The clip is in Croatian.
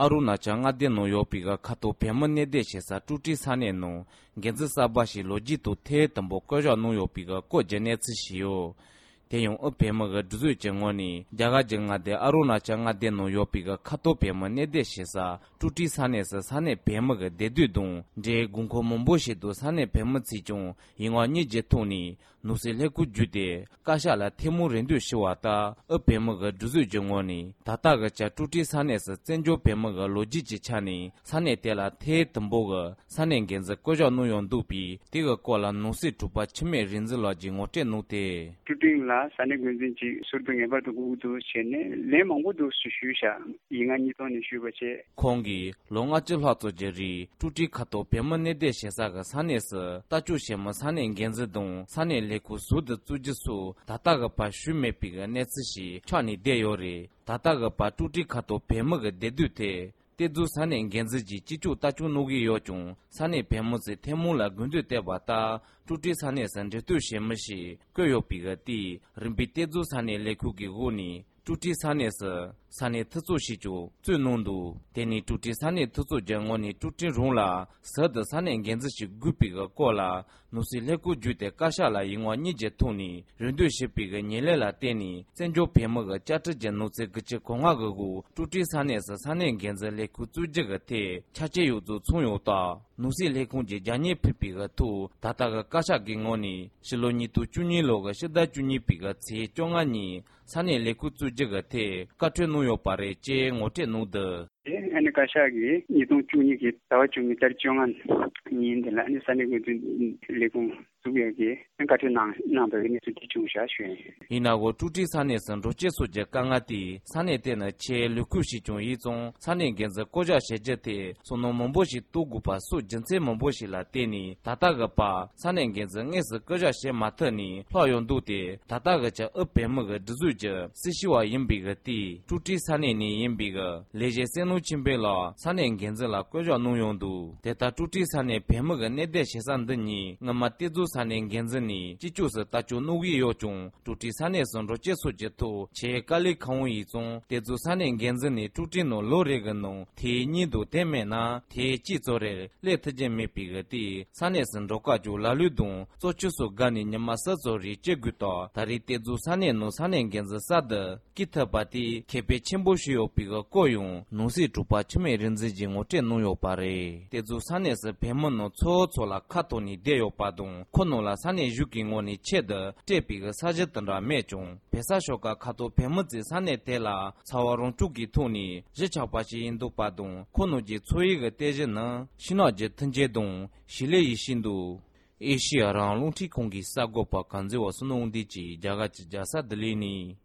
Aruna changa de no yopiga kato pemane de shesa tuti sane no genzi sabashi loji to te tambo koja no yopiga ko jenetsu shiyo. Teyong pemaga duzu jengoni jaga jenga de aruna changa de no yopiga kato pemane de shesa tuti sane sa sane pemaga de dudong je gungko momboshi do sane pematsi jong ingwa ni jetoni nusi leku jude kasha la temu rendu shiwata pemaga duzu jengoni tataga cha tuti sane sa zenjo pemaga loji jichani sane tela te tamboga sane genza koja no yondupi tiga kola nusi tupa chime rinzi la jingote nute sane gunzinji surpenge ba to gudu chene le mangu do sushisha inga ni to ni shubache kongi longa chilha to jeri tuti khato pemane de shesa ga sane se tachu shema sane genze dong sane leku sud tujisu tata ga pa shume piga netsi chani de yore tata ga pa tuti khato pemaga dedute tezu sane genzi chichu tachu nugi yochung sane pemose temula gundu te bata tuti sane sanje tu shemashi kyo piga ti rimpi tezu sane leku gi guni tuti sane se sane tsu shichu zu nondu teni tuti sane tsu jangoni tuti rungla sad sane genzi shi gupiga kola nusi leku jute kashala ingwa ni jetuni rendu shipiga nyele la teni senjo pemaga chata januse gche konga gu tuti sane se sane genzi leku zu jega te chache yu zu chungyo ta nusi lekung je janye pipiga tu tataga kasha gingoni shiloni tu chuni loga shida chuni piga tse chonga ni sane leku zu jega te katwe nuyo pare che ngote nude ane kashagi nidong chuni ki tawa chuni tar chongan nindela ane sane gunzin lekung subiyagi katwe nangbaga ni suti chungsha shuen inago tuti sane san roche soje kangati sane tena che luku shi chung yizong sane genza koja sheje te sono momboshi tugupa su jinse momboshi la teni tataga pa sane genza ngese koja she matani hloyon dute tataga cha pemaga dhuzuje sishiwa yimbiga ti tuti sane ni yimbiga leje senu chimbe la sane genza la koja nuyondu teta tuti sane pemaga nede shesan deni ngama tezu sane genza ni chichu se tachu nugi yochung tuti sane son roche soje to che kali khang yi zong tezu sane genza ni tuti no lore ga no te ni do teme na te chi zore le tje me piga ti sane son roka ju la lu dong zo chu so ga ni nyama sa zori che guta tari tezu sane no sane genza sa de kitapati kepe chimbo shyo piga koyung nusi tupa chime rinzi ji ngote no yo pare tezu sane se pemon no cho cho la khato ni de yo padong kono la sane yuki ngoni che de te piga sa je tandra me chung pesa shoka khato pemzi sane tela chawarong tuki thoni je chapachi indu padong kono ji choi ge teje na shina je tanje dong shile yi shindu Asia rang lungti kongi sagopa kanze wa sunong di chi jaga chi jasa dalini